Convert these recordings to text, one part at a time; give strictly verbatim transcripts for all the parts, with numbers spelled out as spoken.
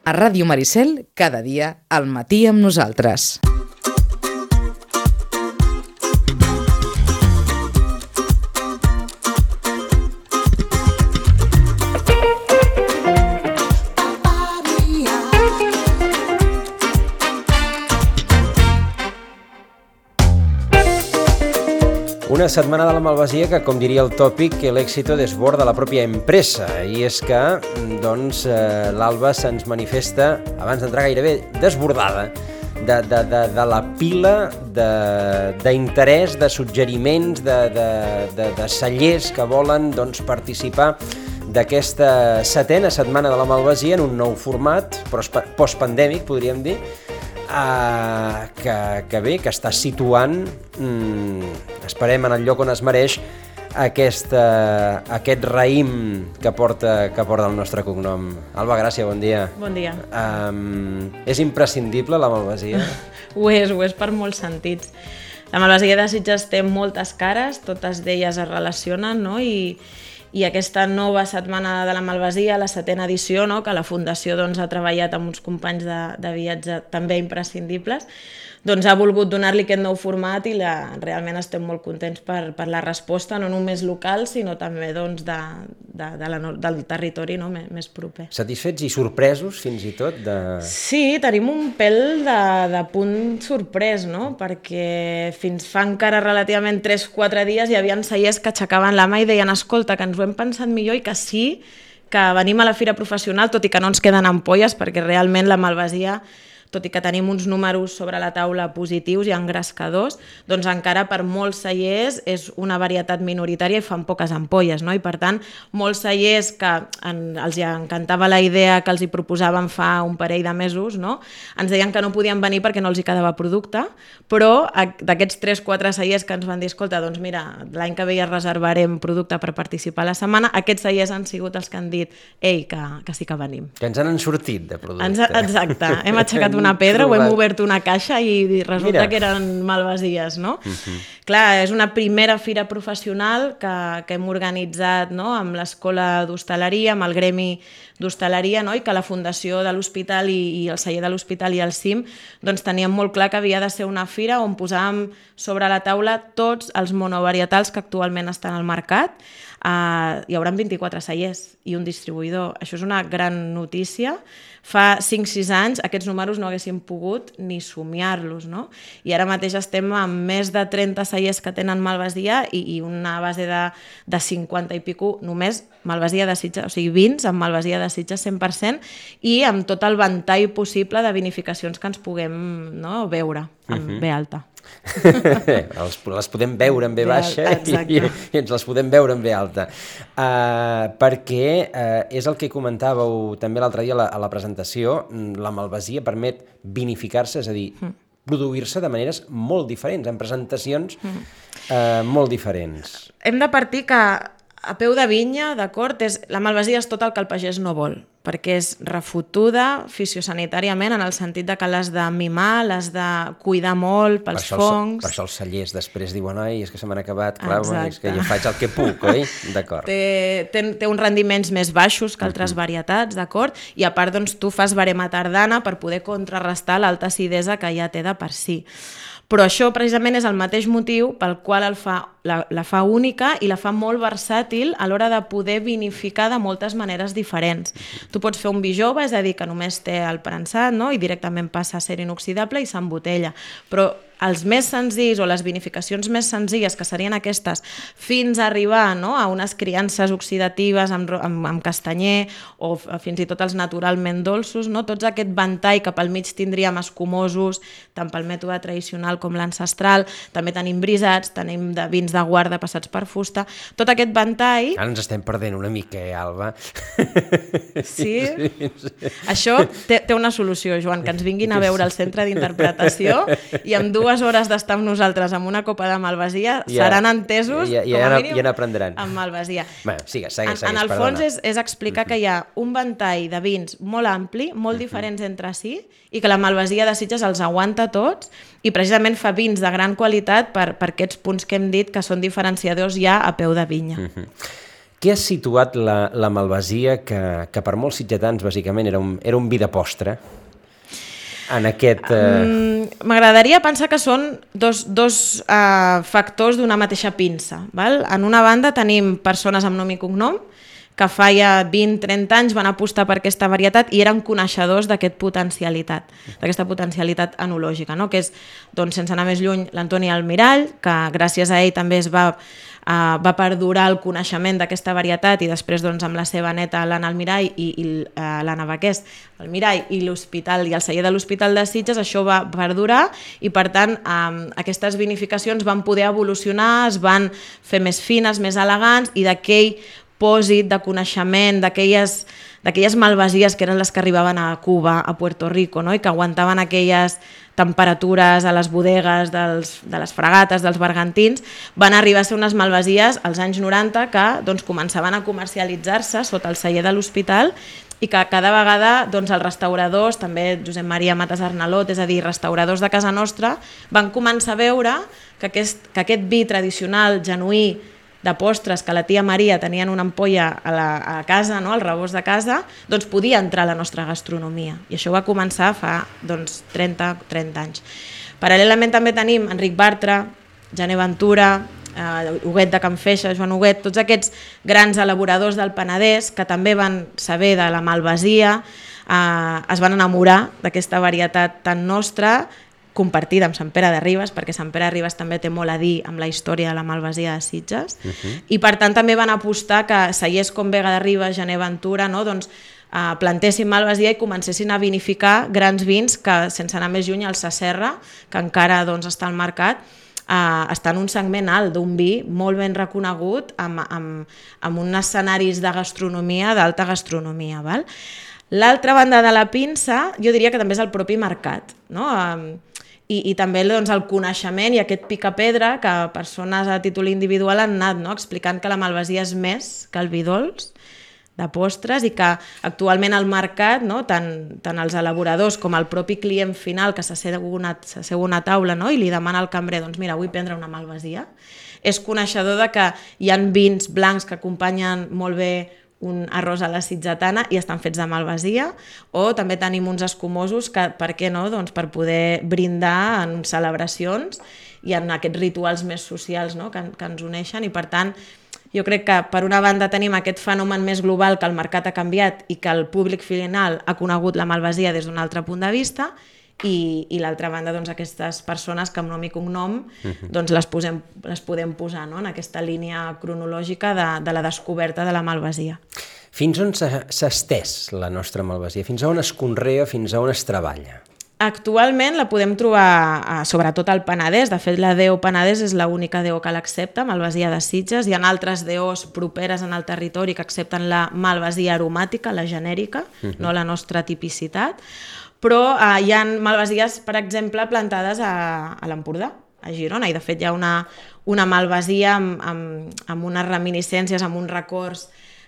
A Ràdio Maricel, cada dia, al matí amb nosaltres. Una setmana de la malvasia que, com diria el tòpic, el éxito desborda la pròpia empresa. I és que doncs, eh, l'Alba se'ns manifesta, abans d'entrar gairebé desbordada, de, de, de, de la pila d'interès, de, de suggeriments, de, de, de, de cellers que volen doncs, participar d'aquesta setena setmana de la malvasia en un nou format, postpandèmic, podríem dir, Uh, que, que bé, que està situant, mm, esperem, en el lloc on es mereix aquesta, aquest raïm que porta, que porta el nostre cognom. Alba Gràcia, bon dia. Bon dia. Um, és imprescindible la malvasia? Ho és, ho és per molts sentits. La malvasia de Sitges té moltes cares, totes d'elles es relacionen, no? I, i aquesta nova setmana de la malvasia, la setena edició, no? Que la Fundació doncs, ha treballat amb uns companys de, de viatge també imprescindibles, doncs ha volgut donar-li aquest nou format i la, realment estem molt contents per, per la resposta, no només local, sinó també doncs, de, de, de la, del territori, no? més, més proper. Satisfets i sorpresos, fins i tot? De... Sí, tenim un pèl de, de punt sorprès, no? Perquè fins fa encara relativament tres quatre dies hi havia cellers que aixecaven la mà i deien escolta, que ens ho hem pensat millor i que sí, que venim a la fira professional, tot i que no ens queden ampolles, perquè realment la malvasia, tot i que tenim uns números sobre la taula positius i engrescadors, doncs encara per molts cellers és una varietat minoritària i fan poques ampolles, no? I per tant, molts cellers que en, els encantava la idea que els hi proposàvem fa un parell de mesos, no? Ens deien que no podien venir perquè no els hi quedava producte, però d'aquests tres quatre cellers que ens van dir, escolta, doncs mira, l'any que ve ja reservarem producte per participar a la setmana, aquests cellers han sigut els que han dit, ei, que, que sí que venim. Que ens han sortit de producte. Ens, exacte, hem aixecat una pedra, ho hem obert una caixa i resulta Mira. que eren malvasies, no? Uh-huh. Clar, és una primera fira professional que, que hem organitzat, no? Amb l'Escola d'Hostaleria, amb el Gremi d'Hostaleria, no? I que la Fundació de l'Hospital i, i el celler de l'Hospital i el C I M doncs teníem molt clar que havia de ser una fira on posàvem sobre la taula tots els monovarietals que actualment estan al mercat. Uh, hi haurà vint-i-quatre cellers i un distribuïdor. Això és una gran notícia. Fa cinc sis anys aquests números no haguéssim pogut ni somiar-los, no? I ara mateix estem amb més de trenta cellers que tenen malvasia i, i una base de, de cinquanta i pico només malvasia de Sitges, o sigui, vins amb malvasia de Sitges cent per cent i amb tot el ventall possible de vinificacions que ens puguem, no, veure amb uh-huh. B alta. les, les podem veure en B baixa i, i, i ens les podem veure en B alta uh, perquè uh, és el que comentàveu també l'altre dia a la, a la presentació, la malvasia permet vinificar-se, és a dir, mm. produir-se de maneres molt diferents, en presentacions mm. uh, molt diferents. Hem de partir que a peu de vinya, d'acord, és, la malvasia és tot el que el pagès no vol, perquè és refotuda fisiosanitàriament en el sentit de que l'has de mimar, l'has de cuidar molt pels per fongs. Per això els cellers després diuen, ai, és que se m'han acabat, clar, bueno, és que ja faig el que puc, oi? D'acord. Té, té, té uns rendiments més baixos que altres uh-huh. varietats, d'acord? I a part, doncs, tu fas verema tardana per poder contrarrestar l'alta acidesa que ja té de per si. Però això precisament és el mateix motiu pel qual el fa, la, la fa única i la fa molt versàtil a l'hora de poder vinificar de moltes maneres diferents. Tu pots fer un vi jove, és a dir, que només té el prensat, no? I directament passa a ser inoxidable i s'embotella. Però els més senzills o les vinificacions més senzilles, que serien aquestes, fins a arribar, no? A unes criances oxidatives amb, amb, amb castanyer o fins i tot els naturalment dolços, no? Tots aquest ventall que pel mig tindríem escumosos, tant pel mètode tradicional com l'ancestral, també tenim brisats, tenim de vins de guarda passats per fusta, tot aquest ventall... Ara ens estem perdent una mica, eh, Alba? Sí? sí, sí. Això té, té una solució, Joan, que ens vinguin a veure al centre d'interpretació i amb dues hores d'estar amb nosaltres amb una copa de malvasia ja, seran entesos ja, ja, com a mínim ja n'aprendran amb malvasia. Bueno, sigue, segueix, segueix, en, en el perdona. fons és, és explicar que hi ha un ventall de vins molt ampli, molt diferents entre si i que la malvasia de Sitges els aguanta tots i precisament fa vins de gran qualitat per, per aquests punts que hem dit que són diferenciadors ja a peu de vinya. Uh-huh. Què ha situat la, la malvasia, que, que per molts sitgetans bàsicament era un, era un vi de postre, en aquest... Eh... M'agradaria pensar que són dos, dos uh, factors d'una mateixa pinça. Val? En una banda tenim persones amb nom i cognom, que fa ja vint trenta anys van apostar per aquesta varietat i eren coneixedors d'aquest potencialitat, d'aquesta potencialitat enològica, no? Que és, doncs, sense anar més lluny, l'Antoni Almirall, que gràcies a ell també es va, uh, va perdurar el coneixement d'aquesta varietat, i després, doncs, amb la seva neta, l'Anna Almirall i, i uh, l'Anna Baqués, el Mirall i l'Hospital i el celler de l'Hospital de Sitges, això va perdurar i, per tant, um, aquestes vinificacions van poder evolucionar, es van fer més fines, més elegants, i d'aquell pòsit de coneixement, d'aquelles d'aquelles malvasies que eren les que arribaven a Cuba, a Puerto Rico, no? I que aguantaven aquelles temperatures a les bodegues dels, de les fragates, dels bergantins, van arribar a ser unes malvasies als anys noranta que, doncs, començaven a comercialitzar-se sota el celler de l'Hospital, i que cada vegada, doncs, els restauradors, també Josep Maria Matas Arnalot, és a dir, restauradors de casa nostra, van començar a veure que aquest, que aquest vi tradicional, genuí, de postres que la tia Maria tenia en una ampolla a, la, a casa, no? Al rebost de casa, doncs podia entrar a la nostra gastronomia. I això va començar fa, doncs, trenta anys. Paral·lelament també tenim Enric Bartra, Jané Ventura, eh, Huguet de Can Feixa, Joan Huguet, tots aquests grans elaboradors del Penedès que també van saber de la malvasia, eh, es van enamorar d'aquesta varietat tan nostra, compartida amb Sant Pere de Ribes, perquè Sant Pere de Ribes també té molt a dir amb la història de la malvasia de Sitges, uh-huh. I per tant també van apostar que cellers com Vega de Ribes, Jané Ventura, no? Doncs, eh, plantessin malvasia i comencessin a vinificar grans vins que, sense anar més lluny, el Saserra, que encara, doncs, està al mercat, eh, està en un segment alt d'un vi molt ben reconegut, amb, amb, amb uns escenaris de gastronomia, d'alta gastronomia. Val? L'altra banda de la pinça, jo diria que també és el propi mercat, no? Eh, I, i també, doncs, el coneixement i aquest picapedra que persones a títol individual han anat, no? Explicant que la malvasia és més que el vi dolç de postres i que actualment al mercat, no? tant, tant els elaboradors com el propi client final que s'asseu una, s'asseu una taula, no? I li demana al cambrer, doncs mira, vull prendre una malvasia, és coneixedor de que hi ha vins blancs que acompanyen molt bé un arròs a la sitgetana i estan fets de malvasia, o també tenim uns escumosos que, per què no, doncs per poder brindar en celebracions i en aquests rituals més socials, no? que, que ens uneixen, i per tant jo crec que per una banda tenim aquest fenomen més global que el mercat ha canviat i que el públic final ha conegut la malvasia des d'un altre punt de vista, i, i l'altra banda, doncs, aquestes persones que amb nom i cognom doncs, les, posem, les podem posar, no? En aquesta línia cronològica de, de la descoberta de la malvasia. Fins on s'ha estès la nostra malvasia? Fins a on es conrea, fins a on es treballa? Actualment la podem trobar sobretot al Penedès. De fet, la D O Penedès és l'única D O que l'accepta, malvasia de Sitges. Hi ha altres D Os properes en el territori que accepten la malvasia aromàtica, la genèrica, uh-huh. no la nostra tipicitat. Però eh, hi ha malvasies, per exemple, plantades a, a l'Empordà, a Girona, i de fet hi ha una, una malvasia amb, amb, amb unes reminiscències, amb uns records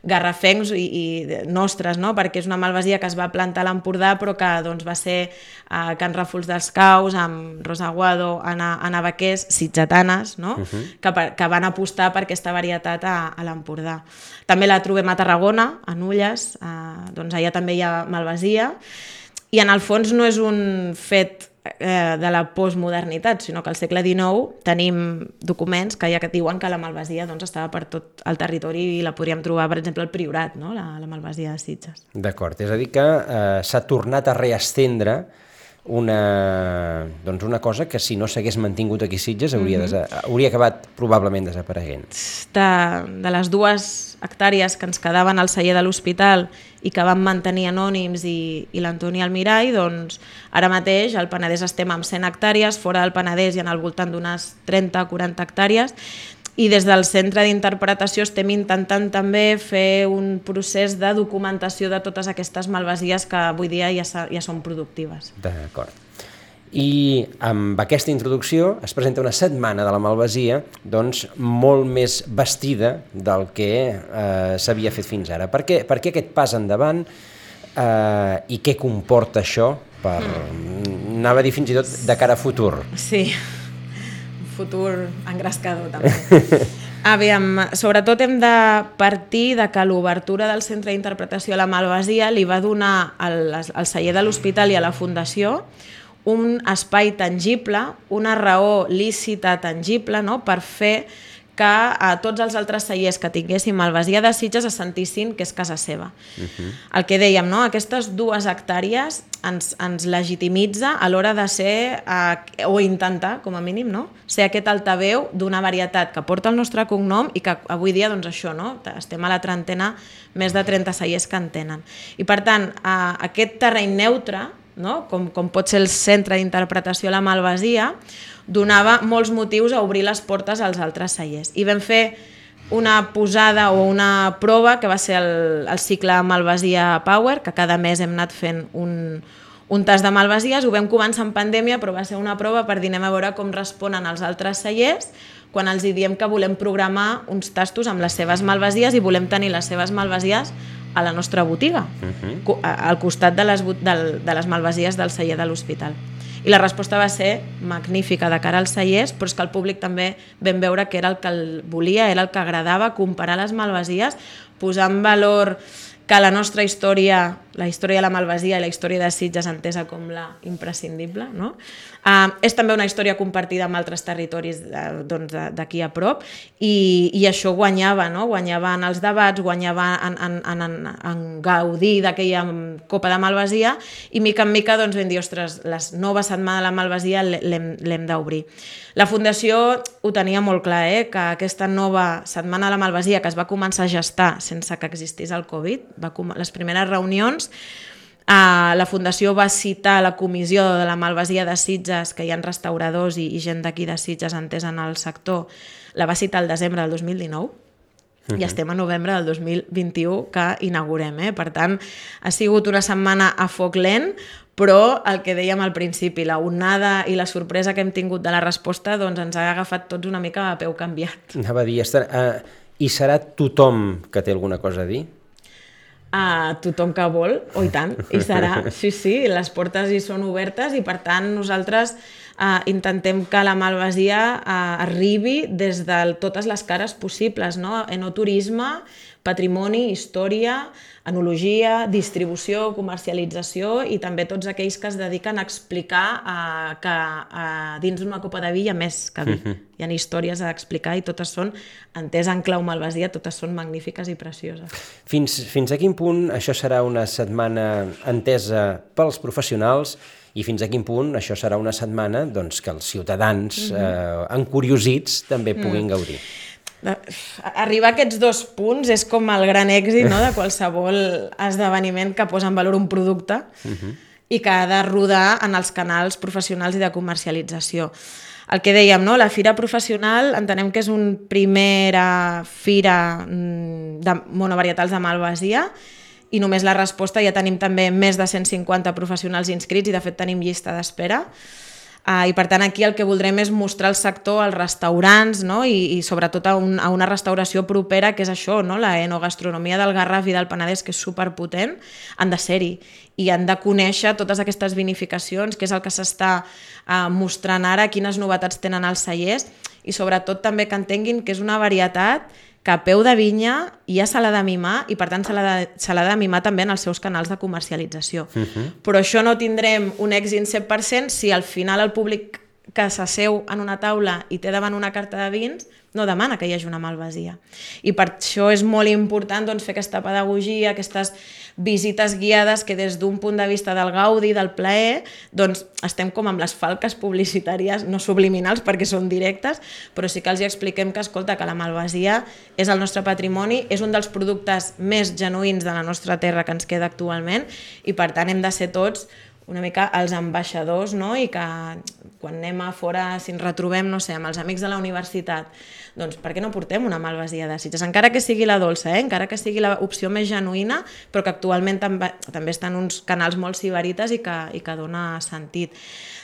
garrafencs i, i nostres, no? Perquè és una malvasia que es va plantar a l'Empordà però que, doncs, va ser a Can Ràfols dels Caus, amb Rosa Aguado, Anna, Anna Baqués, sitgetanes, no? Uh-huh. que, que van apostar per aquesta varietat a, a l'Empordà. També la trobem a Tarragona, a Nulles, eh, doncs allà també hi ha malvasia, i en el fons no és un fet eh, de la postmodernitat, sinó que al segle dinou tenim documents que ja que diuen que la malvasia, doncs, estava per tot el territori i la podríem trobar, per exemple, al Priorat, no? la, la malvasia de Sitges. D'acord, és a dir que eh, s'ha tornat a reestendre una, doncs una cosa que si no s'hagués mantingut aquí a Sitges hauria, mm-hmm. desa, hauria acabat probablement desapareguent. De, de les dues hectàrees que ens quedaven al celler de l'Hospital i que van mantenir anònims i, i l'Antoni Almirall, doncs ara mateix al Penedès estem amb cent hectàrees, fora del Penedès hi ha al voltant d'unes trenta o quaranta hectàrees, i des del centre d'interpretació estem intentant també fer un procés de documentació de totes aquestes malvasies que avui dia ja, ja són productives. D'acord. I amb aquesta introducció es presenta una setmana de la malvasia doncs, molt més vestida del que eh, s'havia fet fins ara. Per què, per què aquest pas endavant eh, i què comporta això? Per, mm. Anava a dir fins i tot de cara a futur. Sí, futur engrescador també. Aviam, sobretot hem de partir de que l'obertura del Centre d'Interpretació a la Malvasia li va donar al, al celler de l'Hospital i a la Fundació un espai tangible, una raó lícita tangible, no?, per fer que a tots els altres cellers que tinguessin Malvasia de Sitges es sentissin que és casa seva. Uh-huh. El que dèiem, no?, aquestes dues hectàrees ens, ens legitimitza a l'hora de ser, eh, o intentar, com a mínim, no?, ser aquest altaveu d'una varietat que porta el nostre cognom i que avui dia, doncs això, no?, estem a la trentena, més de trenta cellers que en tenen. I per tant, eh, aquest terreny neutre, no?, com, com pot ser el Centre d'Interpretació a la Malvasia, donava molts motius a obrir les portes als altres cellers. I vam fer una posada o una prova que va ser el, el cicle Malvasia Power, que cada mes hem anat fent un, un tas de malvasies. Ho vam començar en pandèmia, però va ser una prova per dir anem a veure com responen els altres cellers quan els diem que volem programar uns tastos amb les seves malvasies i volem tenir les seves malvasies a la nostra botiga, uh-huh. al costat de les, de, de les malvasies del celler de l'Hospital. I la resposta va ser magnífica de cara als cellers, però és que el públic també vam veure que era el que el volia, era el que agradava, comparar les malvasies, posar en valor que la nostra història, la història de la Malvasia i la història de Sitges entesa com la imprescindible, no? Uh, és també una història compartida amb altres territoris uh, doncs, d'aquí a prop i, i això guanyava, no? Guanyava en els debats, guanyava en, en, en, en, en gaudir d'aquella Copa de Malvasia i mica en mica doncs, vam dir, ostres, la nova setmana de la Malvasia l'hem d'obrir. La Fundació ho tenia molt clar, eh? Que aquesta nova setmana de la Malvasia que es va començar a gestar sense que existís el Covid, va com... les primeres reunions, Uh, la Fundació va citar la comissió de la Malvasia de Sitges, que hi ha restauradors i, i gent d'aquí de Sitges entesa en el sector, la va citar el desembre del dos mil dinou, uh-huh. i estem a novembre del dos mil vint-i-u que inaugurem. Eh? Per tant, ha sigut una setmana a foc lent, però el que dèiem al principi, la onada i la sorpresa que hem tingut de la resposta doncs ens ha agafat tots una mica a peu canviat. Anava a dir, uh, i serà tothom que té alguna cosa a dir? A tothom que vol, o oh, i tant, i serà, sí, sí, les portes hi són obertes i per tant nosaltres eh, intentem que la Malvasia eh, arribi des de totes les cares possibles, no? Enoturisme, patrimoni, història, enologia, distribució, comercialització i també tots aquells que es dediquen a explicar eh, que eh, dins d'una copa de vi hi ha més que vi. Uh-huh. Hi ha històries a explicar i totes són, entès en clau malvasia, totes són magnífiques i precioses. Fins, fins a quin punt això serà una setmana entesa pels professionals i fins a quin punt això serà una setmana doncs, que els ciutadans uh-huh. eh, encuriosits també puguin uh-huh. gaudir? Arribar a aquests dos punts és com el gran èxit, no?, de qualsevol esdeveniment que posa en valor un producte uh-huh. i que ha de rodar en els canals professionals i de comercialització. El que dèiem, no?, la fira professional entenem que és una primera fira de monovarietals de Malvasia i només la resposta ja tenim també més de cent cinquanta professionals inscrits i de fet tenim llista d'espera. Uh, I per tant aquí el que voldrem és mostrar el sector als restaurants, no? I, i sobretot a, un, a una restauració propera que és això, no? La enogastronomia del Garraf i del Penedès, que és superpotent, han de ser-hi i han de conèixer totes aquestes vinificacions, que és el que s'està uh, mostrant ara, quines novetats tenen els cellers i sobretot també que entenguin que és una varietat que a peu de vinya ja se l'ha de mimar i per tant se l'ha de, se l'ha de mimar també en els seus canals de comercialització. Uh-huh. Però això no tindrem un èxit cent per cent si al final el públic que s'asseu en una taula i té davant una carta de vins no demana que hi hagi una malvasia. I per això és molt important doncs, fer aquesta pedagogia, aquestes visites guiades que des d'un punt de vista del gaudi, del plaer, doncs estem com amb les falques publicitàries, no subliminals perquè són directes, però sí que els hi expliquem que, escolta, que la malvasia és el nostre patrimoni, és un dels productes més genuïns de la nostra terra que ens queda actualment i per tant hem de ser tots una mica els ambaixadors, no? I que quan anem a fora, si ens retrobem, no sé, amb els amics de la universitat, doncs per què no portem una malvasia de Sitges? Encara que sigui la dolça, eh? Encara que sigui l'opció més genuïna, però que actualment també, també estan uns canals molt sibarites i que, i que dona sentit.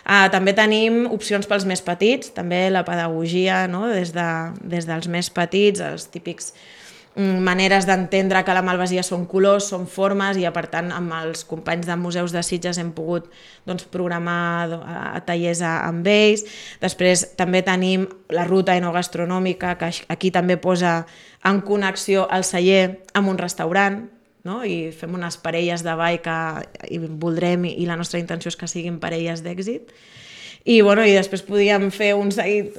Uh, també tenim opcions pels més petits, també la pedagogia, no? des, de, des dels més petits, els típics maneres d'entendre que la Malvasia són colors, són formes, i per tant amb els companys de museus de Sitges hem pogut doncs, programar a tallers amb ells. Després també tenim la ruta enogastronòmica, que aquí també posa en connexió el celler amb un restaurant, no? I fem unes parelles de ball que i voldrem, i la nostra intenció és que siguin parelles d'èxit. I, bueno, i després podíem fer un,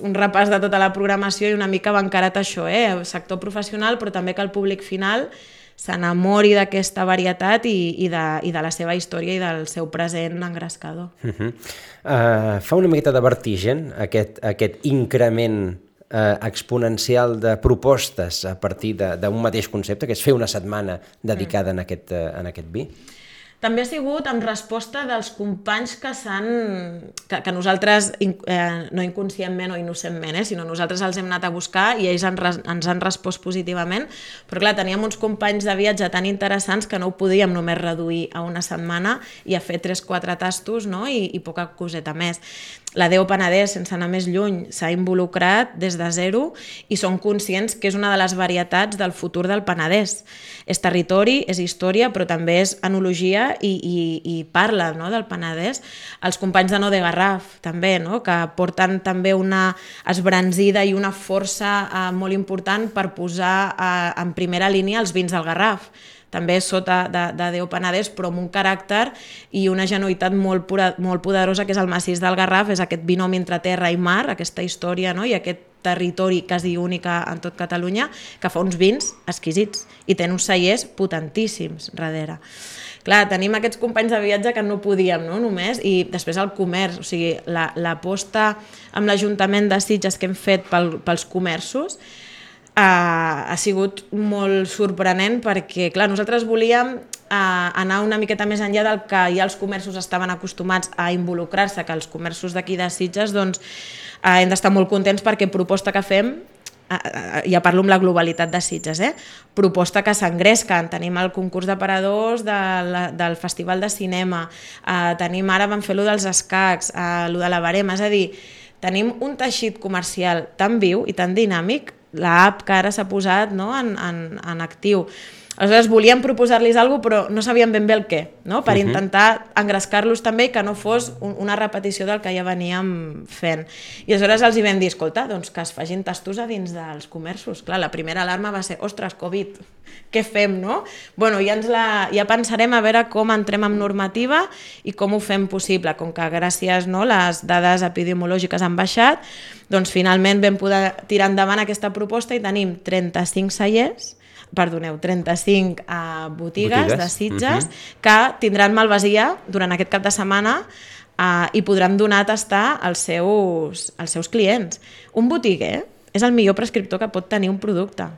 un repàs de tota la programació i una mica va encarat això, eh? Sector professional, però també que el públic final s'enamori d'aquesta varietat i, i, de, i de la seva història i del seu present engrescador. Uh-huh. uh, fa una miqueta de vertigen aquest, aquest increment uh, exponencial de propostes a partir d'un mateix concepte, que és fer una setmana dedicada mm. en, aquest, uh, en aquest vi? També ha sigut en resposta dels companys que s'han... que, que nosaltres, eh, no inconscientment o innocentment, eh, sinó nosaltres els hem anat a buscar i ells han, ens han respost positivament, però clar, teníem uns companys de viatge tan interessants que no ho podíem només reduir a una setmana i a fer tres o quatre tastos, no? I, i poca coseta més. La D E O Penedès, sense anar més lluny, s'ha involucrat des de zero i són conscients que és una de les varietats del futur del Penedès. És territori, és història, però també és enologia i, i, i parla, no?, del Penedès. Els companys de No de Garraf, també, no?, que porten també una esbranzida i una força eh, molt important per posar eh, en primera línia els vins del Garraf. També sota de, de D E O Penedès, però amb un caràcter i una genuïtat molt, pura, molt poderosa, que és el massís del Garraf, és aquest binomi entre terra i mar, aquesta història, no?, i aquest territori quasi única en tot Catalunya, que fa uns vins exquisits i té uns cellers potentíssims darrere. Clar, tenim aquests companys de viatge que no podíem, no?, només, i després el comerç, o sigui, l'aposta amb l'Ajuntament de Sitges que hem fet pel, pels comerços, Uh, ha sigut molt sorprenent perquè, clar, nosaltres volíem uh, anar una miqueta més enllà del que ja els comerços estaven acostumats a involucrar-se, que els comerços d'aquí de Sitges, doncs, uh, hem d'estar molt contents perquè proposta que fem, uh, uh, ja parlo amb la globalitat de Sitges, eh? Proposta que s'engresquen, tenim el concurs d'aparadors de la, del Festival de Cinema, uh, tenim ara vam fer lo dels escacs, uh, lo de la barema, és a dir, tenim un teixit comercial tan viu i tan dinàmic, l'app que ara s'ha posat, no?, en, en, en actiu. Aleshores volíem proposar-los alguna cosa, però no sabíem ben bé el què, no?, per uh-huh. intentar engrescar-los també i que no fos un, una repetició del que ja veníem fent. I aleshores els hi vam dir, escolta, doncs que es facin tastos a dins dels comerços. Clar, la primera alarma va ser, ostres, Covid, què fem, no? Bueno, ja, ens la, ja pensarem a veure com entrem amb normativa i com ho fem possible. Com que gràcies, no, les dades epidemiològiques han baixat, doncs finalment vam poder tirar endavant aquesta proposta i tenim trenta-cinc cellers, perdoneu, trenta-cinc uh, botigues, botigues de Sitges uh-huh. que tindran malvasia durant aquest cap de setmana uh, i podran donar a tastar als seus, als seus clients. Un botiguer és el millor prescriptor que pot tenir un producte.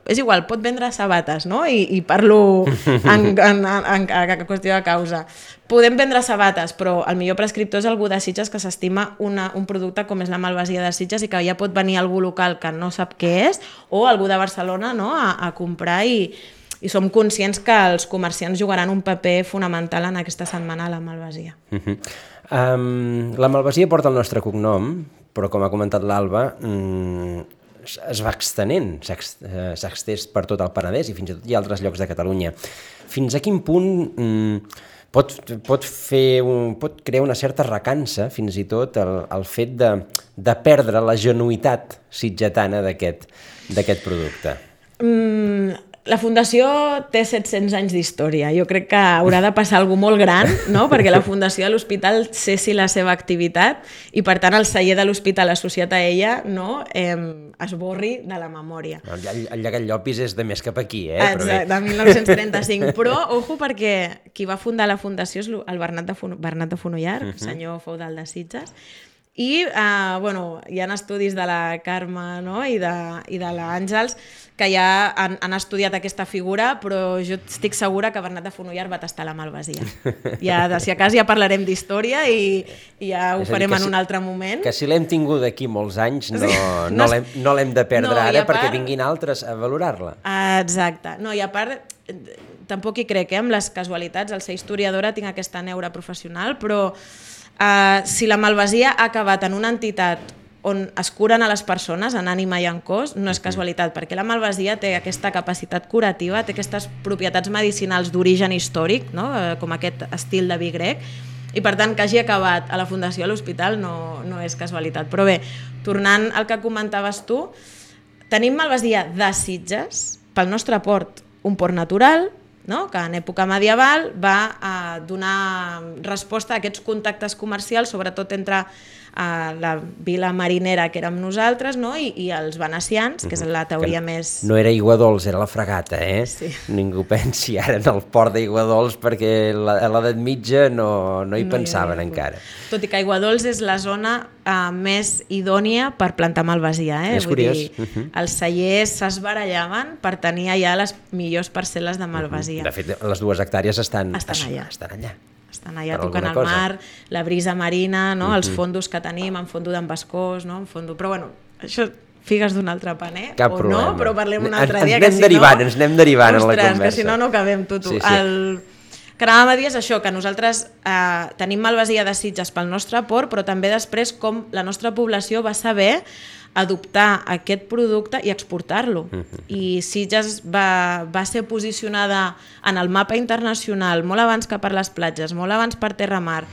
És igual, pot vendre sabates, no? I, i parlo en, en, en, en qüestió de causa. Podem vendre sabates, però el millor prescriptor és algú de Sitges que s'estima un producte com és la malvasia de Sitges i que ja pot venir algú local que no sap què és o algú de Barcelona, no?, a, a comprar i, i som conscients que els comerciants jugaran un paper fonamental en aquesta setmana a la malvasia. Uh-huh. um, la malvasia porta el nostre cognom, però com ha comentat l'Alba, um, es va extenent, s'ha extès per tot el Penedès i fins i tot hi ha altres llocs de Catalunya. Fins a quin punt um, pot, pot, fer un, pot crear una certa recança, fins i tot, el, el fet de, de perdre la genuïtat sitgetana d'aquest d'aquest producte? Mm, la Fundació té set-cents anys d'història. Jo crec que haurà de passar alguna cosa molt gran, no?, perquè la Fundació de l'Hospital cessi la seva activitat i, per tant, el celler de l'Hospital associat a ella, no?, eh, es borri de la memòria. El, el llegat Llopis és de més cap aquí, eh? Exacte, de mil nou-cents trenta-cinc. Però, ojo, perquè qui va fundar la Fundació és el Bernat de, Fon Bernat de Fonollar, uh-huh. senyor feudal de Sitges, i eh, bueno, hi ha estudis de la Carme, no?, i de, i de l'Àngels que ja han, han estudiat aquesta figura, però jo estic segura que Bernat de Fonollar va tastar la malvasia. Ja, si a cas ja parlarem d'història i, i ja ho farem en si, un altre moment. Que si l'hem tingut d'aquí molts anys no, no, no l'hem no de perdre no, ara part, perquè vinguin altres a valorar-la. Exacte. No, i a part, tampoc hi crec, eh, amb les casualitats, al ser historiadora tinc aquesta neura professional, però Uh, si la malvasia ha acabat en una entitat on es curen a les persones en ànima i en cos, no és casualitat, perquè la malvasia té aquesta capacitat curativa, té aquestes propietats medicinals d'origen històric, no? Com aquest estil de vi grec, i per tant que hagi acabat a la Fundació a l'Hospital no, no és casualitat. Però bé, tornant al que comentaves tu, tenim malvasia de Sitges, pel nostre port, un port natural, no? Que en època medieval va a donar resposta a aquests contactes comercials, sobretot entre a la vila marinera que érem nosaltres, no? I, i els venecians, que és la teoria que més... No era Aiguadols, era la fragata, eh? Sí. Ningú pensi ara en el port d'Aiguadols perquè la, a l'edat mitja no, no hi no pensaven hi encara. Tot i que Aiguadols és la zona uh, més idònia per plantar malvasia, eh? És Vull curiós. dir, uh -huh. els cellers s'esbarallaven per tenir allà les millors parcel·les de malvasia. Uh -huh. De fet, les dues hectàrees estan, estan allà. Estan allà. Estan allà tocant el mar, la brisa marina, no? Uh -huh. Els fondos que tenim, en fondo d'en Bascós, no? En fondo... Però bueno, això figues d'un altre paner, Cap o problema. no, però parlem un altre en, dia. Ens anem que si derivant, no... ens anem derivant Ostres, en la conversa. que si no, no acabem, tu, tu. Sí, sí. El... que anàvem a dir és això, que nosaltres eh, tenim malvasia de Sitges pel nostre port, però també després com la nostra població va saber adoptar aquest producte i exportar-lo. Uh -huh. I Sitges va, va ser posicionada en el mapa internacional molt abans que per les platges, molt abans per Terramar,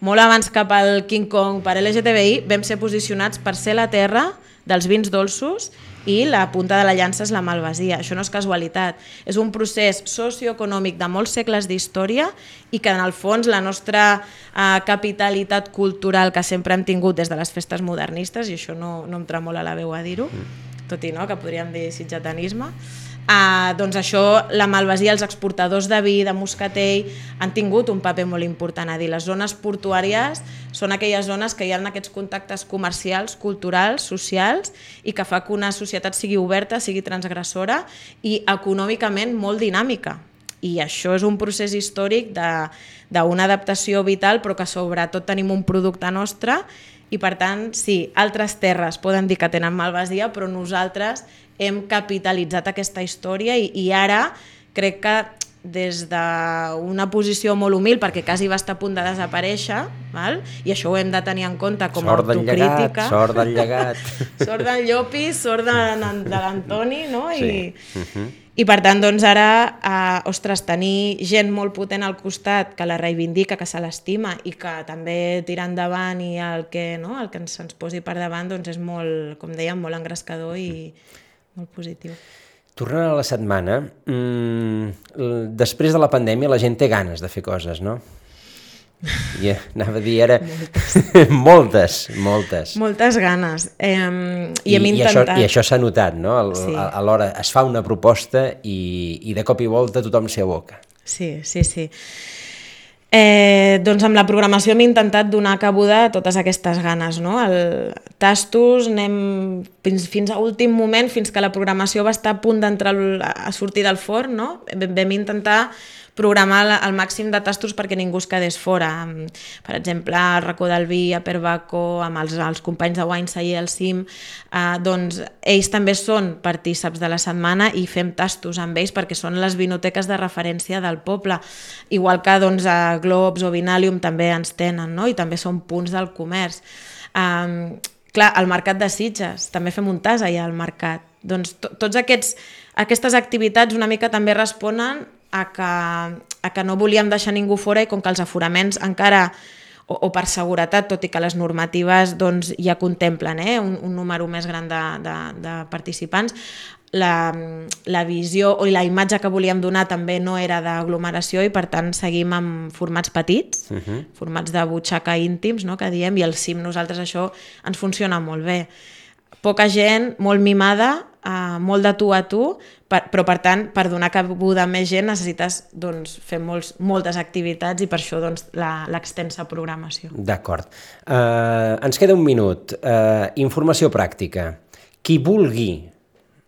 molt abans que pel King Kong, per L G T B I, vam ser posicionats per ser la terra dels vins dolços i la punta de la llança és la malvasia. Això no és casualitat, és un procés socioeconòmic de molts segles d'història i que en el fons la nostra eh, capitalitat cultural que sempre hem tingut des de les festes modernistes, i això no, no em tremola la veu a dir-ho, tot i no, que podríem dir sitgetanisme, Uh, doncs això, la malvasia, els exportadors de vi, de moscatell, han tingut un paper molt important a dir. Les zones portuàries són aquelles zones que hi ha aquests contactes comercials, culturals, socials, i que fa que una societat sigui oberta, sigui transgressora i econòmicament molt dinàmica. I això és un procés històric d'una adaptació vital, però que sobretot tenim un producte nostre i per tant, sí, altres terres poden dir que tenen malvasia, però nosaltres hem capitalitzat aquesta història i, i ara crec que des d'una posició molt humil, perquè quasi va estar a punt de desaparèixer, val? I això ho hem de tenir en compte com a autocrítica. Sort del llegat, Sort del Llopis, sort de, de l'Antoni, no? I, sí. uh-huh. I per tant, doncs ara, eh, ostres, tenir gent molt potent al costat que la reivindica, que se l'estima i que també tira endavant i el que, no? el que ens, ens posi per davant doncs és molt, com dèiem, molt engrescador i molt positiu. Tornant a la setmana, mmm, després de la pandèmia la gent té ganes de fer coses, no? I anava a dir ara... Moltes. moltes, moltes. Moltes ganes. Eh, I, I hem intentat... I això, això s'ha notat, no? El, sí. a, a l'hora es fa una proposta i, i de cop i volta tothom s'hi aboca. Sí, sí, sí. Eh, doncs amb la programació hem intentat donar cabuda a totes aquestes ganes, no? El tastos, anem fins, fins a últim moment, fins que la programació va estar a punt d'entrar a sortir del forn, no? Vam intentar programar el màxim de tastos perquè ningú es quedés fora. Per exemple, el Racó del Vi, a Perbaco, amb els, els companys de Wine Cellar al Cim, eh, doncs ells també són partíceps de la setmana i fem tastos amb ells perquè són les vinoteques de referència del poble. Igual que doncs, a Globs o Vinalium també ens tenen, no? I també són punts del comerç. Um, clar, al Mercat de Sitges, també fem un tas allà al mercat. Doncs to, tots aquests, aquestes activitats una mica també responen a que, a que no volíem deixar ningú fora i com que els aforaments encara, o, o per seguretat, tot i que les normatives doncs, ja contemplen eh, un, un número més gran de, de, de participants, la, la visió o la imatge que volíem donar també no era d'aglomeració i per tant seguim amb formats petits, uh-huh. formats de butxaca íntims, no, que diem, i al cim nosaltres això ens funciona molt bé. Poca gent, molt mimada, uh, molt de tu a tu, per, però per tant, per donar cabuda a més gent necessites doncs, fer molts, moltes activitats i per això doncs, l'extensa programació. D'acord. Uh, ens queda un minut. Uh, informació pràctica. Qui vulgui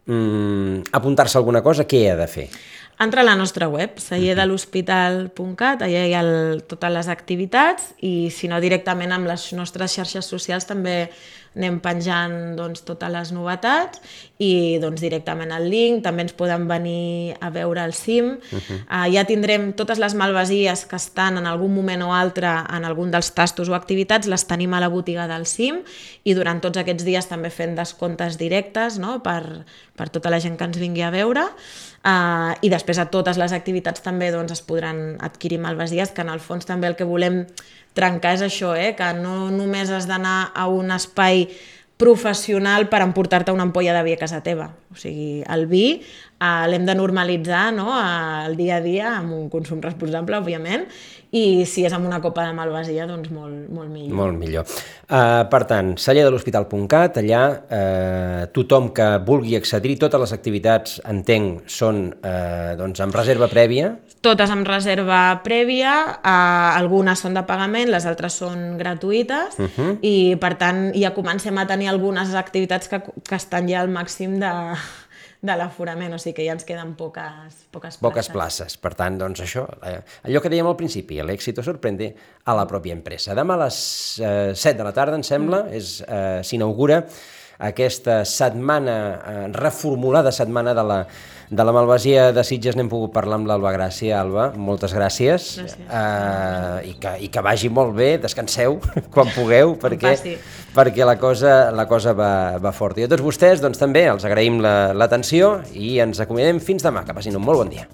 um, apuntar-se a alguna cosa, què ha de fer? Entra a la nostra web, celler de l'hospital punt cat, allà hi ha el, totes les activitats i si no directament amb les nostres xarxes socials també anem penjant doncs, totes les novetats i doncs, directament el link, també ens poden venir a veure el cim. Uh-huh. Uh, ja tindrem totes les malvasies que estan en algun moment o altre en algun dels tastos o activitats, les tenim a la botiga del cim i durant tots aquests dies també fent descomptes directes, no? per, per tota la gent que ens vingui a veure. Uh, I després a totes les activitats també doncs, es podran adquirir malvasies, que en el fons també el que volem trencar és això, eh? Que no només has d'anar a un espai professional per emportar-te una ampolla de vi a casa teva. O sigui, el vi eh, l'hem de normalitzar, no? El dia a dia amb un consum responsable, òbviament, i si és amb una copa de malvasia, doncs molt, molt millor. Molt millor. Uh, per tant, celler de l'hospital punt cat, allà uh, tothom que vulgui accedir, totes les activitats, entenc, són uh, doncs, amb reserva prèvia? Totes amb reserva prèvia, uh, algunes són de pagament, les altres són gratuïtes, uh-huh. i per tant ja comencem a tenir algunes activitats que, que estan ja al màxim de... de l'aforament, o sigui que ja ens queden poques, poques places. Poques places. Per tant, doncs això, eh, allò que dèiem al principi, l'èxito sorprende a la pròpia empresa. Demà a les eh, set de la tarda, em sembla, mm. és, eh, s'inaugura aquesta setmana, eh, reformulada setmana de la, de la malvasia de Sitges. N'hem pogut parlar amb l'Alba Gràcia. Alba, moltes gràcies. gràcies. Eh, i, que, I que vagi molt bé, descanseu quan pugueu, perquè, perquè la cosa, la cosa va, va fort. I a tots vostès doncs, també els agraïm l'atenció la, i ens acomiadem fins demà. Que passin un molt bon dia.